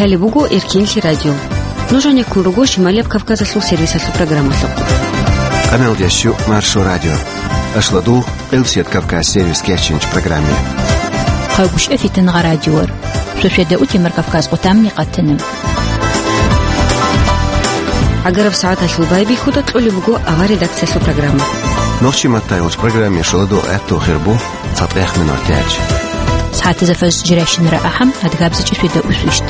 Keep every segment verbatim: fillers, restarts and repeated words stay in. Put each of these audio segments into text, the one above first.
Гьале буго Эркинлъи радио. Нуж гьанеккун руго Шималияб Кавказалъул сервисалъул программалъухъ. Къамелдящу Маршо радио. Ашладу Къилсият Кавказ сервис кечинч программе. Хъагуш эфитан гъа радиор. Сосиада утимар Кавказ къутамни къатана. Агараб сагӀаталъул байбихьуда кьолеб буго авар редакциялъул программа. Нохчи маттайгъуч программе шаладу гӀатту хирбу. ЦатӀех минут гьечӀ. СагӀатазда фаз жирайщинара ахӀам, адгабзичӀи светда усвищт.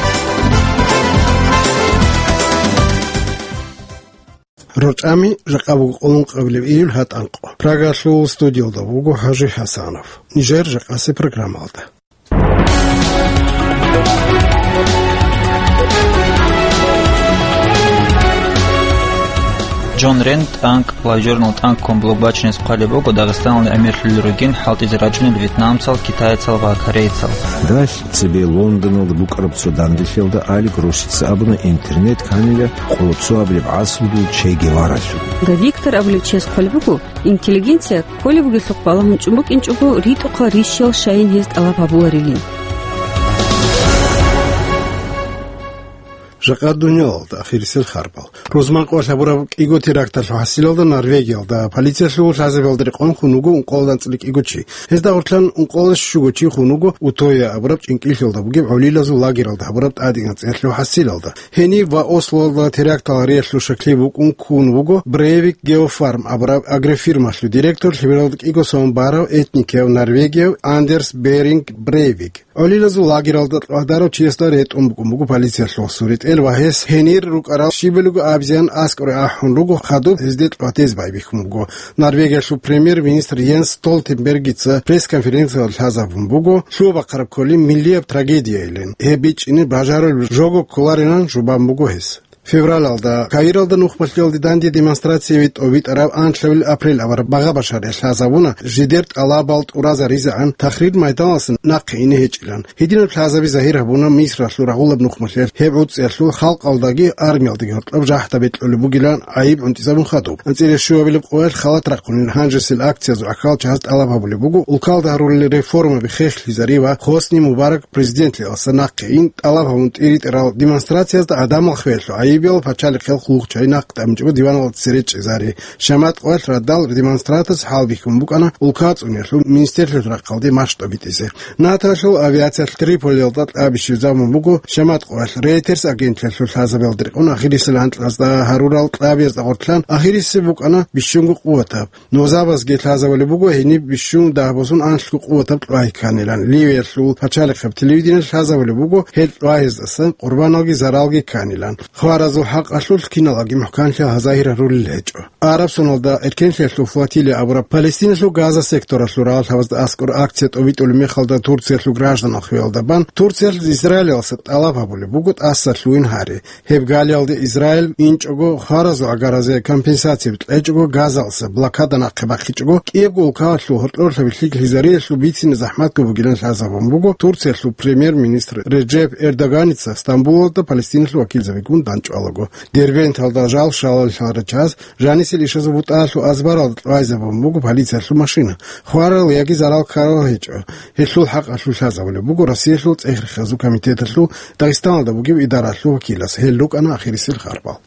РорчӀами жакъа буго къулун къабилеб июль гьатӀанкъо. Прагалъул студиялда буго ХӀажи ХӀасанов. Нижер жакъасе программалда. Джон Рент тӀанкӀ, лайжурнал тӀанкӀ ккун блок бачине хъвалеб буго Дагъистаналде гӀемерлъулел ругин хӀалтӀизе рачӀунел вьетнамцал, китайцал ва корейцал. Далъ цебе Лондоналда букӀараб цо данделъиялда Алик Рощица абуна интернет кканила къоло цо абилеб гӀасрулъул Че Геваралъул. Виктор абулев чияс хъвалеб буго, интеллигенция кколеб бугелъухъ балагьун чӀун букӀинчӀого ритӀухъал рищал щайин гьез тӀалаб гьабуларилин. Жакъа дуниялалда ахирисел харбал. Рузман къоялъ гьабураб кӀиго теракталъул хӀасилалда Норвегиялда полициялъул лъазабиялда рекъон хун вуго ункъоялда анцӀила кӀиго чи. Гьезда гъорлъан ункъоялда щуго чи хун вуго Утоя абураб чӀинкӀиллъиялда бугеб гӀолилазул лагералда гьабураб тӀадегӀанцӀиялъул хӀасилалда. Гьениб ва Ослоялда терактал гьариялъул щаклъи букӀун ккун вуго Брейвик Геофарм абураб агрофирмалъул директор, лъимералда кӀиго сон барав этникияв норвегияв Андерс Беринг Брейвик. ГӀолилазул лагералда кьвагьдарав чиясда ретӀун букӀун буго полициялъул суретӀел ва гьес гьенир рукӀарал щибалиго абизеян аскӀоре ахӀун руго хадуб гьезде кьватез байбихьун буго. Норвегиялъул премьер-министр Йенс Столтенбергица пресс-конференциялда лъазабун буго лъугьа-бахъараб кколин миллияб трагедиялин. Гьеб бичӀчӀине бажарулеб жого кколарилан жубан буго гьес. Февралалда Каиралда нухмалъиялде данде демонстрацияве тӀобитӀараб анлъабил апрель авараб багъа башариялъ лъазабуна, жидер тӀалабал тӀуразаризегӀан Тахрир майданалъа нахъе ине гьечӀилан. Гьединаб лъазаби загьир гьабуна Мисралъул рагъулаб нухмалъиялъ, гьеб гӀуцӀиялъул халкъалдаги армиялдаги гьоркьоб жахӀда бекьулеб бугилан гӀайиб гӀунтӀизабун хадуб. АнцӀила щуабилеб къоялъ халат рахъунел гьанжесел акциязул ахӀал чагьаз тӀалаб гьабулеб буго улкалда гьарулел реформаби хехлъизари ва Хосни Мубарак президентлъиялдаса нахъе ин тӀалаб гьабун тӀиритӀарал демонстрациязда гӀадамал хвелъу гӀайибиял пачалихъел хъулухъчай нахъ тӀамичӀого диваналда цере чӀезари. Шамат къоялъ радал демонстратас хӀалбихьун букӀана улка цӀуниялъул министерлъиялъул рахъалде мащ тӀобитӀизе. НАТОялъул авиациялъ Триполиялда кьаби щвезабун буго Шамат къоялъ. Рейтерс агентлъиялъул лъазабиялда рекъон ахирисел анкьазда гьарурал кьабиязда гъортлъан ахирисеб букӀана бищунго къуватаб. Нозабазги лъазабулеб буго гьениб бищун дагьбасун анлъго къуватаб кьвагь кканилан. Ливиялъул пачалихъаб телевидениялъ лъазабулеб буго гьел кьвагьездасан къурбаналги заралги кканилан. Хваразул хӀакъалъулъ киналги мухӀканлъи гьаза гьарулел гьечӀо. Араб соналда эркенлъиялъул флотилия абураб Палестиналъул Газа секторалъул рагъалъабазда аскӀор акция тӀобитӀулеб мехалда Турциялъул гражданал хвеялда бан Турциялъ Израилалъа тӀалаб гьабулеб буго тӀаса лъугьин гьари. Гьеб галиялде Израиль инчӀого хваразул гӀагаразе компенсацияби кьечӀого, Газалъа блокада нахъе бахъичӀого, кӀиябго улкалъул гьоркьорлъаби лъикӀлъизариялъул бицине захӀматго бугилан лъазабун буго Турциялъул премьер-министр Реджеп Эрдоганица Стамбулалда Палестиналъул вакилзабигун дандчӀвалаго. Дербенталда жал щваларелъул рачаз жанисел ишазул бутӀаялъул азбаралда кьвайзабун буго полициялъул машина. Хварал яги зарал ккарал гьечӀо. Гьелъул хӀакъалъулъ лъазабулеб буго Россиялъул цӀех-рехазул комитеталъул Дагъистаналда бугеб идаралъул вакилас. Гьел рукӀана ахирисел харбал.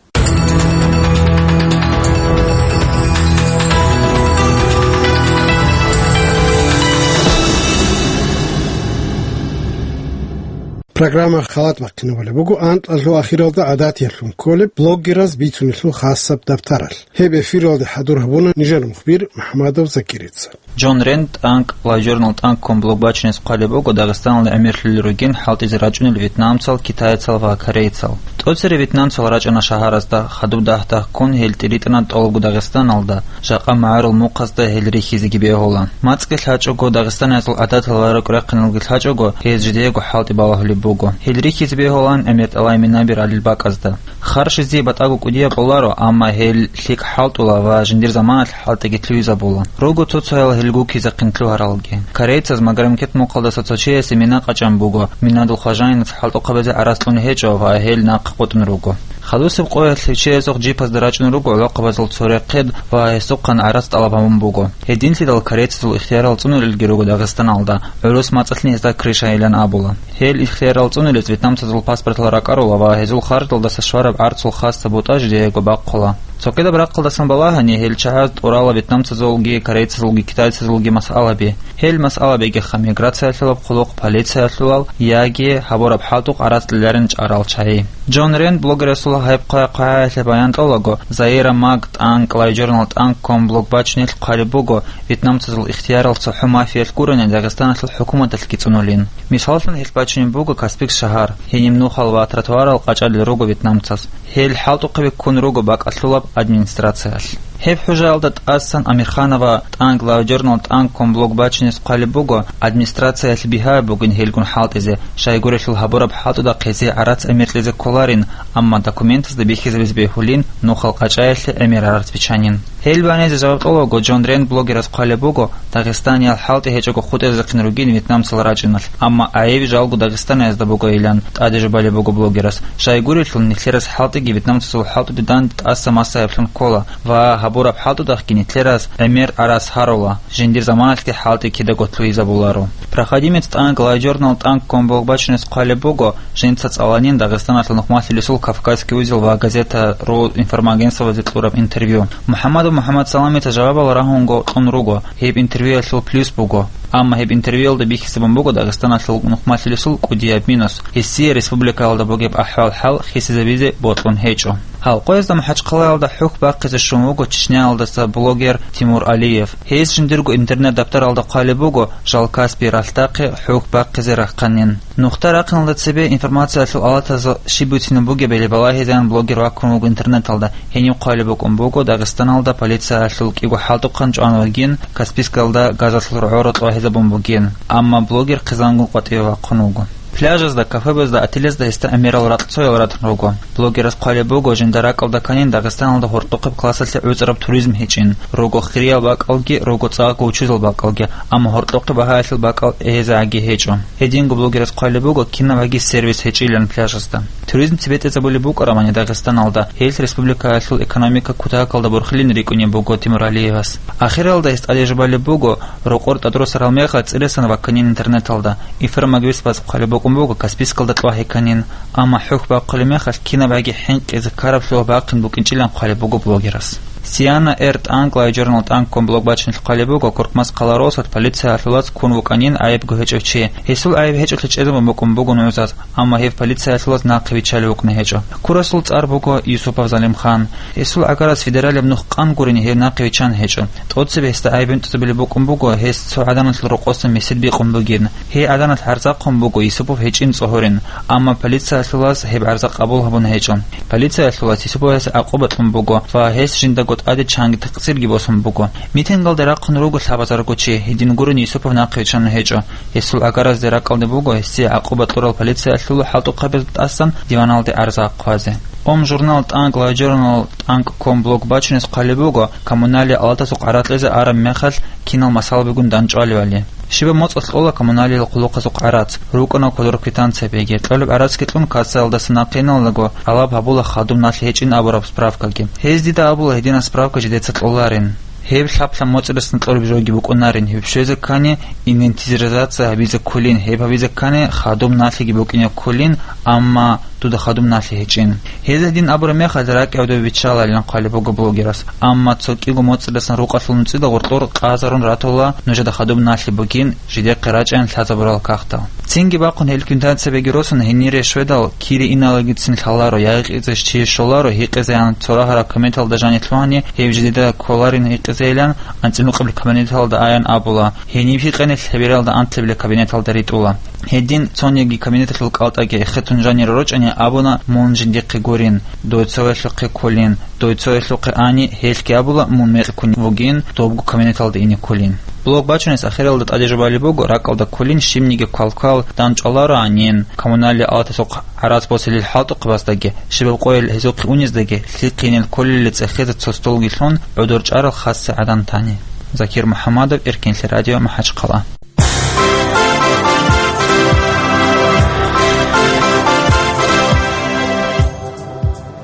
Программа халат бахъинабулеб буго анкьалъул ахиралда гӀадатиялъун кколеб блогераз бицунелъул хасаб дабтаралъ. Гьеб эфиралде хӀадур гьабуна нижер мухбир МухӀамадов Закирица. Джон Рент тӀанкӀ, лайжурнал тӀанкӀ ккун блок бачинес хъвалеб буго Дагъистаналде гӀемерлъулел ругин хӀалтӀизе рачӀунел вьетнамцал, китайцал ва корейцал. ТӀоцере вьетнамцал рачӀана шагьаразда, хадуб дагь-дагь ккун гьел тӀиритӀана тӀолабго Дагъистаналда, жакъа магӀарул мухъазда гьел рихьизеги бегьула. МацӀги лъачӀого, дагъистаниязул гӀадатал ва рукӀ-рахъиналги лъачӀого, гьез жидеего хӀалтӀи балагьулеб буго. Гьел рихьизе бегьулаан ГӀемертӀалай Минабир гьалил бакӀазда. Хъарщизе батӀаго кӀудияб кьоларо, амма гьел лъикӀ хӀалтӀула ва жиндир заманалъ хӀалтӀиги лъугьизабула. Руго цо-цоял гьел гуккизехъин лъугьаралги. Корейцаз Магометмухъалдаса цо чиясе мина къачӀан буго, минадул хважаинас хӀалтӀухъабазе гӀарац кьун гьечӀо ва гьел нахъе къотӀун руго. Хадусеб къоялъ гьев чиясухъ джипазда рачӀун руго гӀолохъабазул цо рехъед ва гьесухъан гӀарац тӀалаб гьабун буго. Гьединлъидал корейцазул ихтиярал цӀунулелги руго Дагъистаналда, гӀурус мацӀалъни гьезда крышайилан абула. Гьел ихтиярал цӀунулез вьетнамцазул паспортал ракӀарула ва гьезул харждалдаса швараб гӀарцул хасаб бутӀа жидеего бахъула. Цогидаб рахъалдасан балагьани, гьел чагӀаз тӀурала вьетнамцазулги, корейцазулги, китайцазулги масъалаби. Гьел масъалабигиха миграциялъулаб хъулухъ, полициялъулал яги гьабураб хӀалтӀухъ гӀарац кьеларин чӀарал чагӀи. Джон Рент блогерасул гьеб хъвай-хъвагӀаялъе баян кьолаго, Заира Мак тӀанкӀ LiveJournal тӀанкӀ ком блог бачунелъ хъвалеб буго, вьетнамцазул ихтиярал цохӀо мафиялъ гурони Дагъистаналъул хӀукуматалъги цӀунулин. Мисаллъун, гьелъ бачунеб буго Каспийск шагьар, гьениб нухал ва тротуарал къачӀалел руго вьетнамцаз. Гьел хӀалтӀухъаби ккун руго бакӀалъулаб администрациялъ. Гьеб хӀужаялда тӀасан Амирханова тӀанкӀ LiveJournal тӀанкӀ ком блог бачунес хъвалеб буго, администрациялъ бигьаяб бугин гьелгун хӀалтӀизе, щайгурелъул гьабураб хӀалтӀуда хъезе гӀарац гӀемер кьезе кколарин, амма документазда бихьизабизе бегьулин нухал къачӀаялъе гӀемер гӀарац бичанин. Гьел банизе жаваб кьолаго, Джон Рент блогерас хъвалеб буго, дагъистаниял хӀалтӀи гьечӀого хутӀизехъин ругин вьетнамцал рачӀиналъ, амма гӀайиб жалго дагъистаниязда бугойилан тӀаде жубалеб буго блогерас, щайгурелъул нилъерас хӀалтӀиги вьетнамцазул хӀалтӀуде данде тӀаса масаиблъун ккола ва гьабураб хӀалтӀудахъги нилъерас гӀемер гӀарац гьарула, жиндир заманалъги хӀалтӀи кидаго лъугьизабуларо. Проходимец тӀанкӀ LiveJournal тӀанкӀ ком блог бачунес хъвалеб буго, жинца цӀаланин Дагъистаналъул нухмалъулесул Кавказский узел ва Газета ру информагентствоялде кьураб интервью. МухӀаммадов МухӀаммадсаламица жавабал рагьунго кьун руго, гьеб интервьюялъул плюс буго. Амма гьеб интервьюялда бихьизабун буго Дагъистаналъул нухмалъулесул кӀудияб минус, гьесие республикаялда бугеб ахӀвал-хӀал хисизабизе бокьун гьечӀо. Гьал къоязда МахӀачхъалаялда хӀухь бахъизе щун вуго Чечняялдаса блогер Тимур Алиев. Гьес жиндирго интернет-даптаралда хъвалеб буго жал Каспий ралъдахъе хӀухь бахъизе рахъанин. Нухда рахъиналда цебе информациялъул алатаз щиб бицунеб бугебали балагьизеян блогер ваккун вуго интернеталда. Гьениб хъвалеб букӀун буго Дагъистаналда полициялъул кӀиго хӀалтӀухъан чӀван вугин, Каспийскалда газалъул рогӀора кьвагьизабун бугин, амма блогер хъизангун къватӀиве вахъун вуго. Пляжазда, кафебазда, отелазда гьесда гӀемерал ракьцоял ратун руго. Блогерас хъвалеб буго, жинда ракӀалда кканин Дагъистаналда гьоркьохъеб классалъе гӀуцӀараб туризм гьечӀин, руго хирияб бакӀалги, руго цӀакъго учузал бакӀалги, амма гьоркьохъеб багьаялъул бакӀал гьезагӀаги гьечӀо. Гьединго блогерас хъвалеб буго, кинабгӀаги сервис гьечӀилан пляжазда. Туризм цебетӀезабулеб букӀарамани Дагъистаналда, гьелъ республикаялъул экономика кутакалда борхилин рикӀкӀунеб буго Тимуралиевас. Ахиралда гьес тӀаде жубалеб буго, рокъор тӀадросарал мехалъ цӀиласан вакканин интернеталда. Информагентствоялъ хъвалеб букӀун буго Каспийскалда кьвагьи кканин, амма хӀухь бахъулеб мехалъ кинабгӀаги хӀинкъизе ккараблъун бахъин букӀинчӀилан хъвалеб буго блогерас. Сиана Эр тӀанкӀ LiveJournal тӀанкӀ ком блог бачунелъ хъвалеб буго, Куркмас хъаларосат полициялъулаз ккун вукӀанин гӀайибго гьечӀев чи. Гьесул гӀайиб гьечӀолъи чӀезабун букӀун буго нугӀзаз, амма гьев полициялъулаз нахъе виччалев вукӀун гьечӀо. Ккурасул цӀар буго Юсупов Залимхан. Гьесул гӀагарас федералияб нух къан гурони гьев нахъе виччан гьечӀо. ТӀоцебе гьесда гӀайиб бетӀерабулеб букӀун буго, гьес цо гӀаданалъул рокъоса месед бикъун бугин. Гьей гӀаданалъ гӀарзахъун буго Юсупов гьечӀин цӀогьорин, амма полициялъулаз гьеб гӀарза къабул гьабун гьечӀо. Полициялъулаз Юсуповасе гӀакъуба кьун буго ва гьес жиндаго тӀаде чанги такъсирги босун буго. Митингалде рахъун руго лъабазарго чи, гьедин гурони Юсупов нахъе виччан гьечӀо. Гьесул гӀагаразде ракӀалде буго гьесие гӀакъуба кьурал полициялъул хӀалтӀухъабазда тӀасан диваналде гӀарза хъвазе. Ом журнал тӀанкӀ LiveJournal тӀанкӀ ком блог бачунес хъвалеб буго, коммуналия алатасухъ гӀарац кьезе араб мехалъ кинал масалабигун дандчӀвалевали. Щибаб моцӀалъ кьола коммуналиял хъулухъазухъ гӀарац, рукӀана кодор квитанциябиги, кьолеб гӀарацги кьун кассаялдаса нахъе иналдаго, гьалаб гьабула хадуб налъи гьечӀин абураб справкаги. Гьез дида абула гьединаб справка жидеца кьоларин. Гьеб лъаб-лъаб моцӀидасан кьолеб жоги букӀунарин, гьеб щвезе ккани, инвентаризация гьабизе кколин, гьеб гьабизе ккани, хадуб налъиги букӀине кколин, амма дуда хадуб налъи гьечӀин. Гьез гьедин абураб мехалъ ракӀ гӀодов биччаларилан хъвалеб буго блогерас, амма цо кӀиго моцӀидасан рукъалъул нуцӀида гъоркьор къазарун ратула нужеда хадуб налъи бугин, жидехъе рачӀайин лъазабурал кагътал. Цинги бахъун гьел квитанциябиги росун гьенире щведал, кире иналдасацин лъаларо, ягъикъизе чи щоларо гьикъизеян, цо рагьараб кабинеталда жаниб лъугьани, гьеб жидеда кколарин гьикъизейилан, анцӀила нукъабилеб кабинеталда аян абула, гьениб гьикъани лъебералда анлъабилеб кабинеталда ритӀула. Гьедин цониги кабинеталъул кӀалтӀаги эхетун жанире рорчӀани абуна, мун жиндихъе гурин, дой цоясухъе кколин, дой цоясухъе ани, гьелъги абула, мун мекъи ккун вугин, добго кабинеталда ине кколин. Блог бачунес ахиралда тӀаде жубалеб буго, ракӀалда кколин щибниги квалквал данчӀвалароанин, коммуналли алатасухъ гӀарац босилел хӀалтӀухъабаздаги, щибаб къойил гьезухъе унездаги, лъихъинел кколелли цӀехезе цо столги лъун, гӀодор чӀарал хасса гӀадан тани. Закир МухӀаммадов, Эркенлъи радио, МахӀачхъала.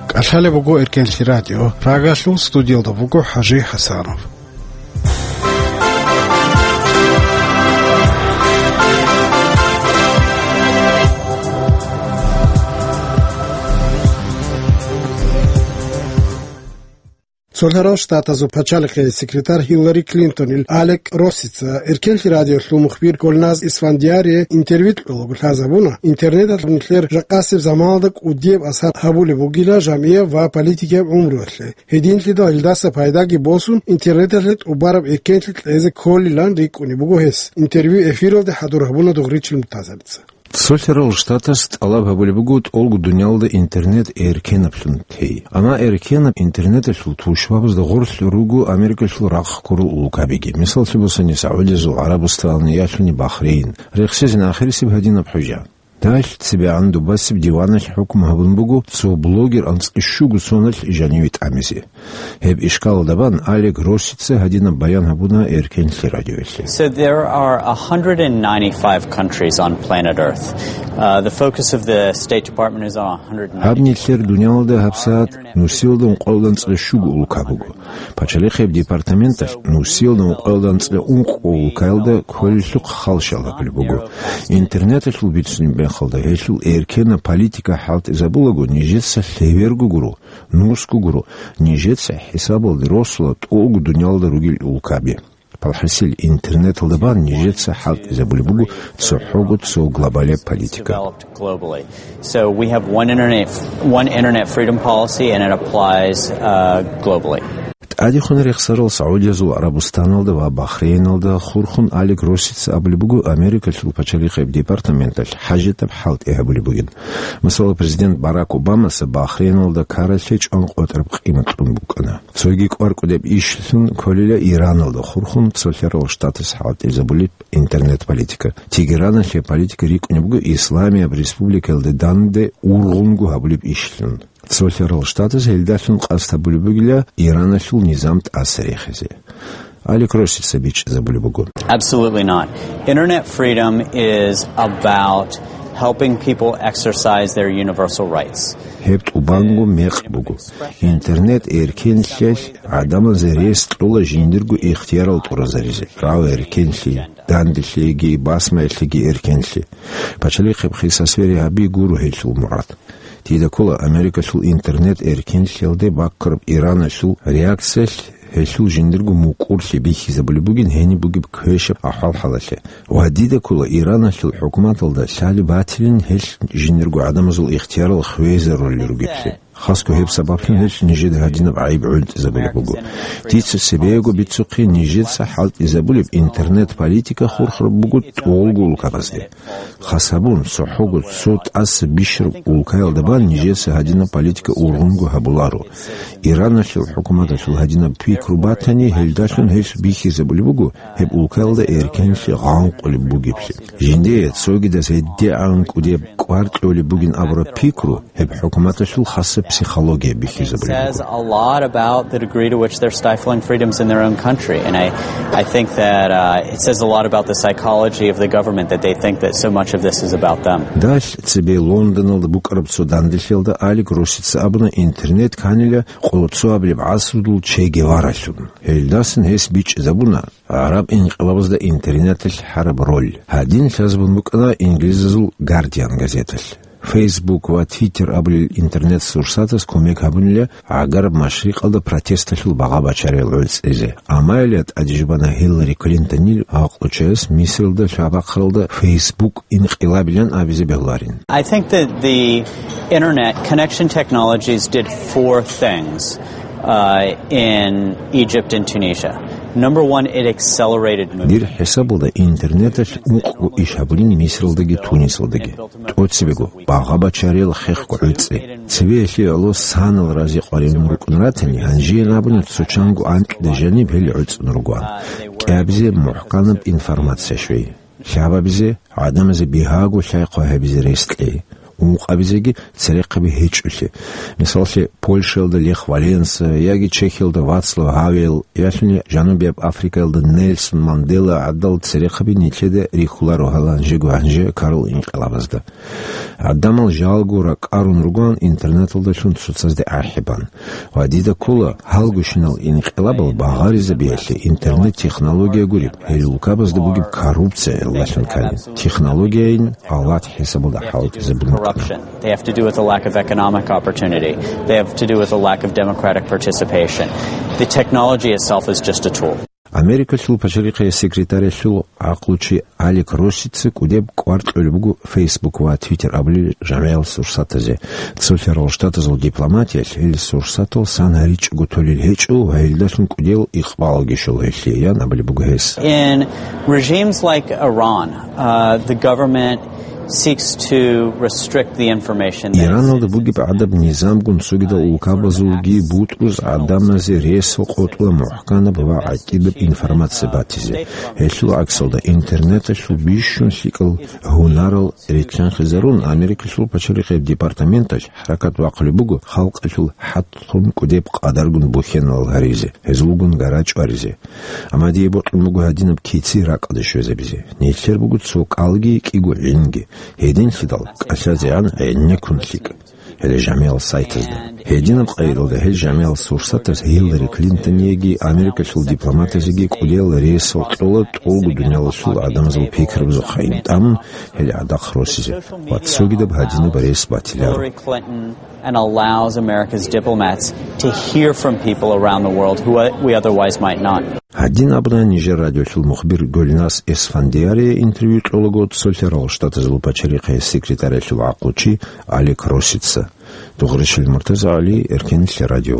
КӀалъалеб буго Эркенлъи радио. Прагалъул студиялда буго ХӀажи ХӀасанов. Цолъарал Штатазул пачалихъе секретарь Хиллари Клинтонил Алек Россица Эркенлъи радиолъул мухбир Гулназ Исфандиярие интервью кьолаго лъазабуна, интернеталъ нилъер жакъасеб заманалда кӀудияб асар гьабулеб бугила жамгӀияб ва политикияб гӀумруялъе. Гьединлъидал гьелдаса пайдаги босун, интернеталъе тӀубараб эркенлъи кьезе кколилан рикӀкӀунеб буго гьес. Интервью эфиралде хӀадур гьабуна Дугъричил Муртазалица. Цолъарал Штатас тӀалаб гьабулеб буго тӀолго дуниялда интернет эркенаблъун тей. Амма эркенаб интернеталъул тушбабазда гъорлъ руго Америкалъул рахъ ккурал улкабиги. Мисаллъи босани, СагӀудиязул ГӀарабустан, ялъуни Бахрейн. Рехсезин ахирисеб гьадинаб хӀужа. Далъ цебегӀан дубасеб диваналъ хӀукму гьабун буго цо блогер анцӀкӀи щуго соналъ жаниве тӀамизе. Гьеб ишкалалда бан Алек Россица гьадинаб баян гьабуна Эркенлъи радиоялъе. So there are one hundred ninety-five countries on planet Earth. Uh, the focus of the State Department is on one hundred ninety-five. Гьаб нилъер дуниялда гьабсагӀат нусиялда ункъоялда анцӀила щуго улка буго. Пачалихъеб департаменталъ нусиялда ункъоялда анцӀила ункъо улкаялда кколелъухъ халщал гьабулеб буго. Интернеталъул бицунеб мехалда гьелъул эркенаб политика хӀалтӀизабулаго, нижеца лъеверго гуро, нусго гуро, нижеца хӀисабалде росула тӀолго дуниялда ругел улкаби. ПалхӀасил интернеталда бан нижеца хӀалтӀизабулеб буго цохӀого цо глобалияб политика. Developed globally. So we have one internet, one internet freedom policy, and it applies, uh, globally. ТӀадехун рехсарал СагӀудиязул ГӀарабустаналда ва Бахрейналда хурхун Алек Россица абулеб буго Америкалъул пачалихъеб департаменталъ хӀажатаб хӀалтӀи гьабулеб бугин. Масала, президент Барак Обамаса Бахрейналда ккаралъе чӀван къотӀараб къимат кьун букӀана. Цоги кӀвар-кӀудеб ишлъун кколила Ираналда хурхун Цолъарал Штатас хӀалтӀизабулеб интернет-политика. Тегераналъе политика рикӀкӀунеб буго Исламияб республикаялде данде ургъунго гьабулеб ишлъун. Цолъарал Штатас гьелдалъун къасд гьабулеб бугила Ираналъул низам тӀаса рехизе. Алек Россица бичӀчӀизабулеб буго. Absolutely not. Internet freedom is about helping people exercise their universal rights. Гьеб тӀубанго мекъ буго. Интернет эркенлъиялъ гӀадамазе рес кьола жиндирго ихтиярал тӀуразаризе, рагӀу эркенлъи, данделъиеги басмаялъеги эркенлъи. Пачалихъеб хисасбери гьаби гуро гьелъул мурад. Дида ккола Америкалъул интернет эркенлъиялде баккараб Ираналъул реакциялъ гьелъул жиндирго мукӀурлъи бихьизабулеб бугин гьениб бугеб квешаб ахӀвал-хӀалалъе. Ва дида ккола Ираналъул хӀукуматалда лъалеб батилин гьелъ жиндирго гӀадамазул ихтиярал хвезарулел ругеблъи. Хасго гьеб сабаблъун гьелъ нижеда гьадинаб гӀайиб гӀунтӀизабулеб буго. Дица цебеего бицухъе нижеца хӀалтӀизабулеб интернет-политика хурхараб буго тӀолго улкабазде. Хас гьабун, цохӀого цо тӀаса бищараб улкаялда бан нижеца гьадинаб политика ургъунго гьабуларо. Ираналъул хӀукуматалъул гьадинаб пикру батани, гьелдалъун гьелъ бихьизабулеб буго гьеб улкаялда эркенлъи гъанкъулеб бугеблъи. Жиндие цогидаз гьедигӀан кӀудеб кӀвар кьолеб бугин абураб пикру гьеб хӀукуматалъул хасаб психология бихьизабулеб буго. Says a lot about the degree to which they're stifling freedoms in their own country. And I, I think that, uh, it says a lot about the psychology of the government that they think that so much of this is about them. Далъ цебе Лондоналда букӀараб цо данделъиялда Алек Россица абуна, интернет кканила къоло цо абилеб гӀасрудул Че Геваралъун. Гьелдасан гьес бичӀчӀизабуна гӀараб инкъилабазда интернеталъ гьараб роль. Гьадин лъазабун букӀана инглизазул Гардиан газеталъ. Facebook ва Twitter абулел интернет-сурсатаз кумек гьабунила гӀагараб машрикъалда протесталъул багъа бачариял гӀуцӀизе. Амма гьелда тӀадежбана Хиллари Клинтонил гӀакълучияс Мисралда лъабахъаралда Facebook инкъилабилан абизе бегьуларин. I think that the internet connection technologies did four things, uh, in Egypt and Tunisia. Number one, it accelerated movement. Дир хӀисабалда интернеталъ ункъго иш гьабулин Мисралдаги Тунисалдаги. ТӀоцебего багъа-бачариял хехго гӀуцӀи. Цеве гьелъие гӀоло санал рази къваригӀун рукӀун ратани, гьанжеян абуни цо чанго анкьида жаниб гьел гӀуцӀун ругоан. КӀиабизе мухӀканаб информация щвей. Лъабабизе, гӀадамазе бигьаго лъай-хъвай гьабизе рес кьей. Ункъабизеги церехъаби гьечӀолъи. Мисаллъи, Польшаялда Лех Валенса яги Чехиялда Вацлав Гьавел, ялъуни Жанубияб Африкаялда Нельсон Мандела гӀадал церехъаби нилъеда рихьуларо гьалан жего гьанже ккарал инкъилабазда. ГӀадамал жалго ракӀарун ругоан интернеталдалъун цоцазде ахӀи бан. Ва дида ккола, гьалгощинал инкъилабал багъаризабиялъе интернет-технология гуреб, гьел улкабазда бугеб коррупция гӀиллалъун ккани. Технологияйин алат хӀисабалда хӀалтӀизабун букӀана. Corruption. They have to do with a lack of economic opportunity. They have to do with a lack of democratic participation. The technology itself is just a tool. Америкалъул пачалихъе секретарялъул гӀакълучи Алек Россица кӀудеб кӀвар кьолеб буго Facebook ва Twitter абулел жамгӀиял сурсатазе. Цолъарал Штатазул дипломатиялъ гьел сурсатал сан гьаричӀого толел гьечӀо ва гьелдалъун кӀудиял икъбалги щола гьелъие, ян абулеб буго гьес. In regimes like Iran, uh, the government seeks to restrict the information that Ираналда exists. Бугеб гӀадаб низамгун цогидал улкабазулги бутӀруз гӀадамазе рес къотӀула мухӀканаб ва гӀатӀидаб информация батизе. Гьелъул гӀаксалда, интернеталъул бищун лъикӀал гьунарал рилълъанхъизарун, Америкалъул пачалихъеб департаменталъ хӀаракат бахъулеб буго халкъалъул хӀатӀлъун кӀудеб къадаргун бухьеналал гьаризе, гьезулгун гара чӀваризе. Амма дие бокьун буго гьадинаб кици ракӀалде щвезабизе. Нилъер буго цо кӀалги кӀиго гӀинги. Гьединлъидал кӀалъазегӀан гӀенеккун лъикӀ гьел жамгӀиял сайтазда. Гьединаб къайдалда гьел жамгӀиял сурсатаз Гьиллари Клинтонияги Америкалъул дипломатазеги кӀудиял рес кьола тӀолго дуниялалъул гӀадамазул пикрабазухъайин тӀамун гьел гӀадахъ росизе ва цогидаб гьадинаб рес батиларо. Hillary Clinton and allows America's diplomats to hear from people around the world who we otherwise might not. Гьадин абуна нижер радиолъул мухбир Гульназ Эсфандиарие интервью кьолаго цолъарал Штатазул пачалихъе секретарялъул гӀакълучи Алек Россица. Дугъришил Муртаза Гьали, Эркенлъи радио.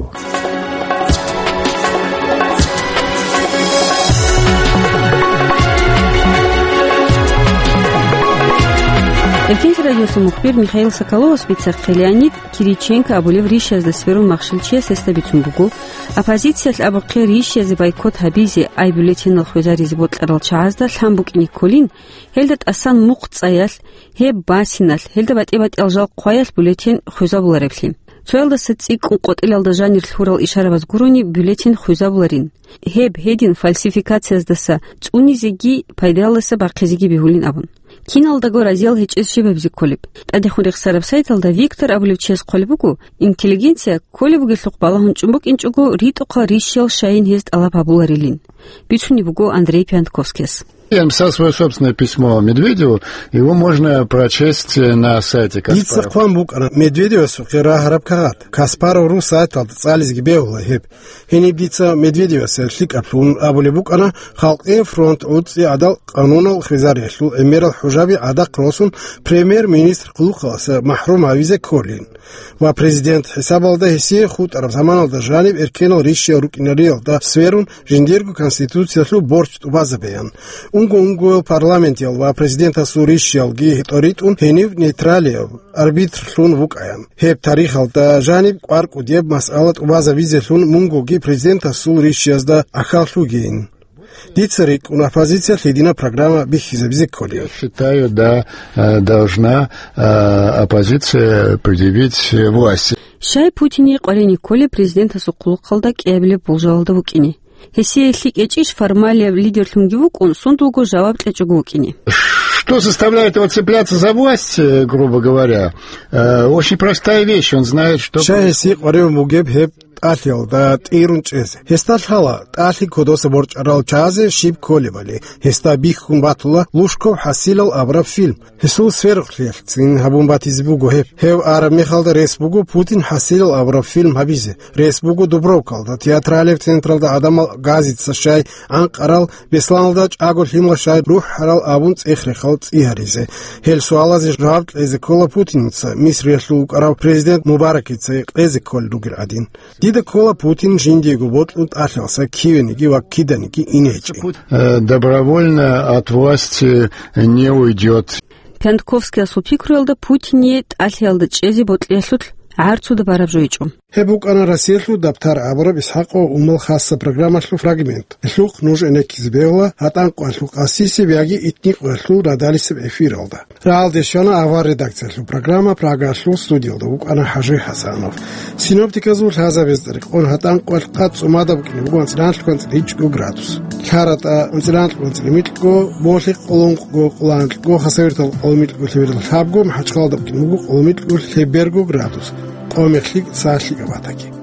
Эркенлъи радиоса мухбир Михаил Соколовас бицахъе Леонид Кириченко абулев ришазда сверун махщел чияс гьесда бицун буго, оппозициялъ абухъе ришазе бойкот гьабизе, ай бюллетенал хвезаризе бокьарал чагӀазда лъан букӀине кколин, гьелда тӀасан мухъ цӀаялъ, гьеб басиналъ, гьелда батӀи-батӀиял жал хъваялъ бюллетен хвезабулареблъи. Цоялдаса цӀикӀкӀун къотӀилалда жанир лъурал ишарабаз гурони бюллетен хвезабуларин. Гьеб гьедин фальсификацияздаса цӀунизеги пайдалдаса бахъизеги бегьулин абун. Киналдаго разиял гьечӀез щиб гьабизе кколеб? ТӀадехун рехсараб сайталда Виктор абулев чияс хъвалеб буго, интеллигенция кколеб бугелъухъ балагьун чӀун букӀинчӀого ритӀухъал ришиял щайин гьез тӀалаб гьабуларилин. Бицунеб буго Андрей Пиантковскияс. Я написал свое собственное письмо Медведеву, его можно прочесть на сайте Дица Каспаров. Хъван букӀана Медведевасухъе рагьараб кагъат. Каспаров ру сайталда цӀализеги бегьула гьеб. Гьениб дица Медведевасе лъикӀаблъун абулеб букӀана, Халкъияв фронт гӀуцӀи гӀадал къанунал хвезариялъул гӀемерал хӀужаби гӀадахъ росун, премьер-министр хъулухъаласа махӀрум гьавизе кколин ва президент хӀисабалда гьесие хутӀараб заманалда жаниб эркенал ришиял рукӀинариялда сверун жиндирго конституциялъул борч тӀубазабеян. Унго-унгоял парламентиял ва президентасул ришиялги тӀоритӀун гьенив нейтралияв арбитрлъун вукӀаян. Гьеб тарихалда жаниб кӀвар кӀудияб масъала тӀубазабизелъун мунгоги президентасул ришиязда ахьаллъугейин. Дица рикӀкӀун оппозиция лъидина программа бихьизабизе кколин. Я считаю, да, э, должна, э, оппозиция предъявить власти. Щай Путине къваригӀине кколеб президентасул хъулухъалда кӀиабилеб болжалалда вукӀине? Гьесие лъикӀ гьечӀищ формалияб лидерлъунги вукӀун, сундулго жаваб кьечӀого вукӀине? Что заставляет его цепляться за власть, э, грубо говоря? Э, очень простая вещь, он знает, что Щай гьесие къваригӀун бугеб гьеб тӀалъиялда тӀирун чӀезе. Гьесда лъала тӀалъи кодоса борчӀарал чагӀазе щиб кколебали. Гьесда бихьун батула Лужков хӀасилал абураб фильм. Гьесул сверухълъиялъцин гьабун батизе буго гьеб. Гьев араб мехалда рес буго Путин хӀасилал абураб фильм гьабизе. Рес буго Дубровкалда, театралияб централда гӀадамал газица щай анкъарал, Бесланалда чӀаго лъимал щай рухӀарал абун цӀех-рехал цӀи гьаризе. Гьел суалазе жаваб кьезе ккола Путиница, Мисриялъул вукӀарав президент Мубаракица кьезе кколел ругел гӀадин. Дида ккола Путин жиндиего бокьун тӀалъиялдаса кивениги ва киданиги ине гьечӀин. Э, добровольно от власти не уйдет. Пиянтковскиясул пикруялда Путине тӀалъиялда чӀезе бокьиялъулъ гӀарцуда бараб жо гьечӀо. Гьеб букӀана Россиялъул дабтар абураб ИсхӀакъ ва Умал хасаб программалъул фрагмент. Гьелъухъ нуж гӀенеккизе бегьула гьатӀан къоялъул къасисеб яги итни къоялъул радалисеб эфиралда. Рагьалде щвана авар редакциялъул программа, Прагаялъул студиялда вукӀана ХӀажи ХӀасанов. Синоптиказул лъазабазда рекъон гьатӀан къоялъ къад цӀумада букӀине буго анцӀила анлъго анцӀила гьичӀго градус. ЛъаратӀа анцӀила анлъго анцӀила микьго, Болъихъ къолонкъго къоло анлъго, Хасавюртал къоло микьго лъеберал лъабго, МахӀачхъалада букӀине буго къоло микьго лъеберго градус. Къомехлъи цалъи габатаги.